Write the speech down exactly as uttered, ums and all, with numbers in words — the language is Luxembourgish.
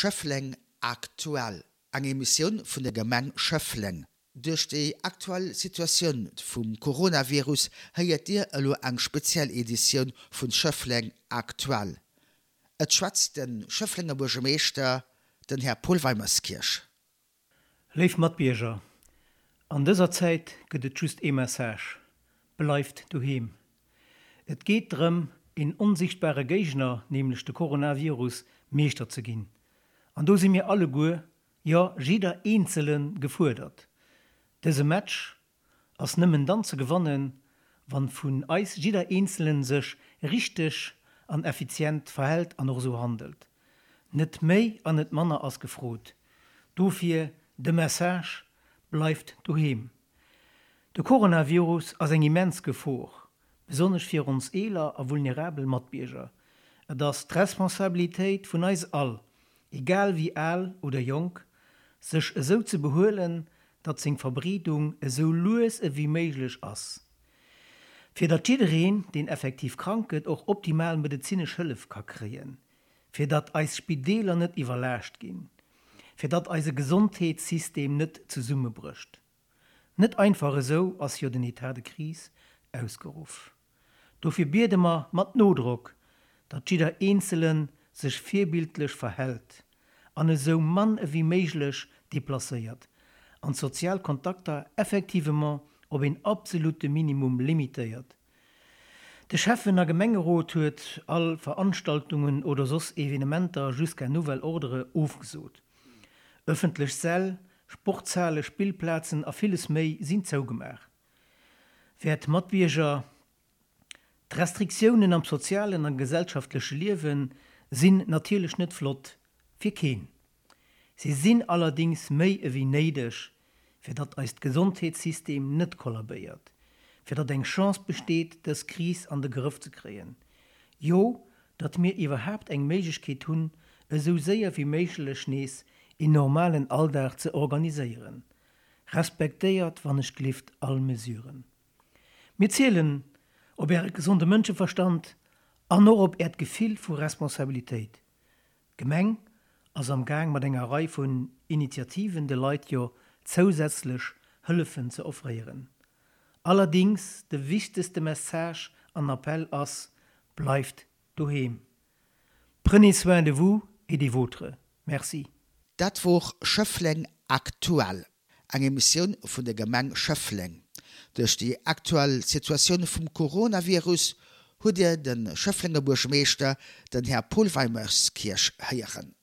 Schëffleng aktuell, eng Emissioun vun der Gemeng Schëffleng. Duerch déi aktuell Situatioun vum Coronavirus héiert Dir elo eng speziell Editioun vun Schëffleng aktuell. Et schwätzt de Schëfflenger Buergermeeschter, den Här Paul Weimerskirch. Léif Matbierger, an dëser Zäit gëtt et just ee Message, Bleift doheem! Et geet drëm, een onsichtbare Géigner, nämlech de Coronavirus, Meeschter ze ginn. An do si mir alleguer, jo jidder Eenzele gefuerdert. Dëse Match ass nëmmen dann ze gewannen, wann vun eis jidder Eenzelen sech richteg an effizient verhält an och esou handelt. Net méi an net manner ass gefrot. Dofir de Message, Bleift doheem! De Coronavirus ass eng immens Gefor, besonnesch fir ons eeler a vulnerabel Matbierger. Et ass d'Responsabilitéit vun eis all, egal wéi al oder jonk, sech esou ze behuelen, datt seng Verbreedung esou lues ewéi méiglech ass, fir datt jiddereen, deen effektiv krank gëtt, och optimal medezinesch Hëllef ka kréien, fir datt eis Spideeler net iwwerlaascht ginn, fir datt eise Gesondheetssystem net zesummebrécht. Net einfach esou ass jo den État de crise ausgeruff. Dofir biede mer mat Nodrock, datt jidder Eenzele sech virbildlech verhält an esou mann ewéi méiglech deplacéiert an d'sozial Kontakter effectivement op een absolute Minimum limitéiert. De Schäffen a Gemengerot huet all Veranstaltungen oder soss Evenementer jusqu'à nouvel ordre ofgesot. Ëffentlech Säll, Sportshale, Spillplazen a villes méi sinn zougemaach. Wäert Matbierger, d'Restriktiounen am sozialen a gesellschaftleche Liewe sinn natierlech net flott, fir keen. Si sinn allerdéngs méi ewéi néideg, fir datt eist Gesondheetssystem net kollabéiert, fir datt eng Chance besteet, dës Kris an de Grëff ze kréien, jo, datt mir iwwerhaapt eng Méiglechkeet hunn, esou séier wéi méiglech nees een normalen Alldag ze organiséieren. Respektéiert wannechglift all Mesuren. Mir zielen op Äre gesonde Mënscheverstand an och op Äert Gefill vu Responsabilitéit. D'Gemeng ass am Gaang mat enger Rei vun Initiativen de Leit jo zousätzlech Hëllefen ze offréieren. Allerdings, de wichtegste Message an Appell ass, Bleift doheem! Prenez soin de vous et des vôtres. Merci. Dat wor Schëffleng aktuell, eng Emissioun vun der Gemeng Schëffleng. Duerch déi aktuell Situatioun vum Coronavirus hutt Dir de Schëfflenger Buergermeeschter, den Här Paul Weimerskirch, héieren.